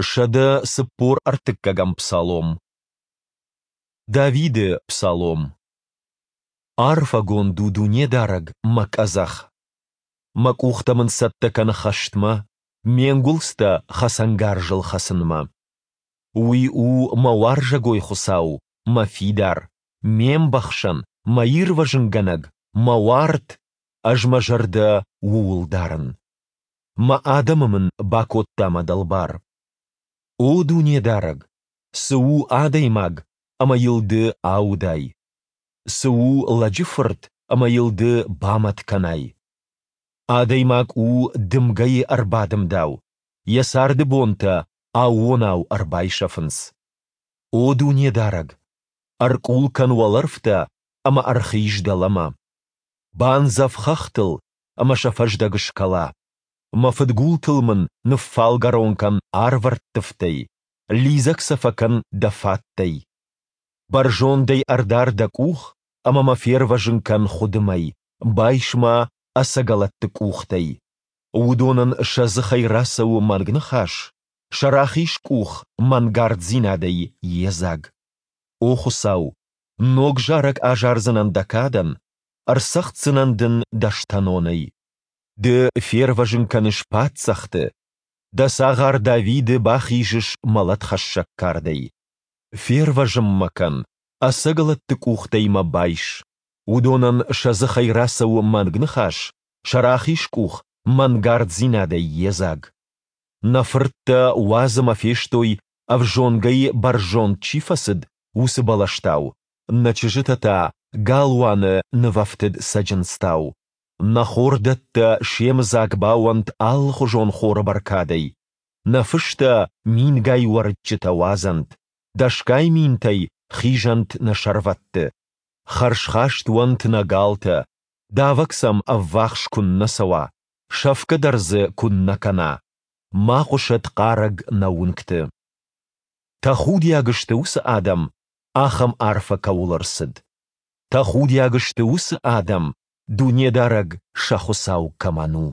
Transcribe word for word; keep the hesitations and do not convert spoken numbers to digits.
Сӕдӕ цыппор ӕртыккӕгӕм псалом. Давиды псалом. Арфӕгонд у Дунедарӕг, мӕ къӕдзӕх! Мӕ къухтӕ мын цӕттӕ кӕны хӕстмӕ, ме нгуылдзтӕ хӕцӕнгарзыл хӕцынмӕ. Уый у мӕ уарзӕгой Хуыцау, мӕ фидар, ме мбӕхсӕн, мӕ ирвӕзынгӕнӕг, мӕ уарт, ӕз мӕ зӕрдӕ Ууыл дарын. Мӕ адӕмы мын бакодта мӕ дӕлбар. О Дунедарӕг, цы у адӕймаг, ӕмӕ йыл Ды аудай? Цы у лӕджы фырт, ӕмӕ йыл Ды бамӕт кӕнай? Адӕймаг у дымгӕйы ӕрбадымдау, йӕ царды бонтӕ аууонау ӕрбайсӕфынц. О Дунедарӕг, ӕркъул кӕн уӕлӕрвтӕ ӕмӕ ӕрхиз дӕлӕмӕ. Бандзӕв хӕхтыл, ӕмӕ сӕ фӕздӕг скӕла. Мӕ фыдгултыл мын ныффалгӕрон кӕн арвӕрттывтӕй, лидзӕг сӕ фӕкӕн дӕ фаттӕй. Бӕрзондӕй ӕрдар дӕ къух ӕмӕ мӕ фервӕзын кӕн хуыдымӕй, байс мӕ ӕцӕгӕлӕтты къухтӕй. Уыдонӕн сӕ дзыхӕй рацӕуы мӕнг ныхас, сӕ рахиз къух мӕнгарддзинадӕй йедзаг. О Хуыцау, ног зарӕг азардзынӕн дӕ кадӕн, ӕрцӕгъддзынӕн дын дӕстӕнонӕй. Ды фервӕзын кӕныс паддзӕхты, дӕ цагъар Давиды бахизыс мӕлӕтхӕссӕг кардӕй. Фервӕзын мӕ кӕн, ӕцӕгӕлӕтты къухтӕй мӕ байс. Уыдонӕн сӕ дзыхӕй рацӕуы мӕнг ныхас, сӕ рахиз къух мӕнгарддзинадӕй йедзаг. Нӕ фырттӕ уадз ӕмӕ фестой, ӕвзонгӕй бӕрзонд чи фӕцыд, уыцы бӕлӕстау, нӕ чызджытӕ та галуаны нывӕфтыд цӕджындзтау. Нӕ хордӕттӕ семыдзаг бауӕнт алыхуызон хоры бӕркадӕй, нӕ фыстӕ мингай уӕрыччытӕ уадзӕнт, дӕсгай минтӕй хизӕнт нӕ сӕрвӕтты. Хӕрзхаст уӕнт нӕ галтӕ, давӕг сӕм ӕввахс куыннӕ цӕуа, сӕфгӕ дӕр дзы куыннӕ кӕна, ма хъуысӕд хъарӕг нӕ уынгты. Тӕхудиаг сты уыцы адӕм, ахӕм арфӕ кӕуыл ӕрцыд. Тӕхудиаг сты уыцы адӕм, Дунедарӕг сӕ Хуыцау кӕмӕн у.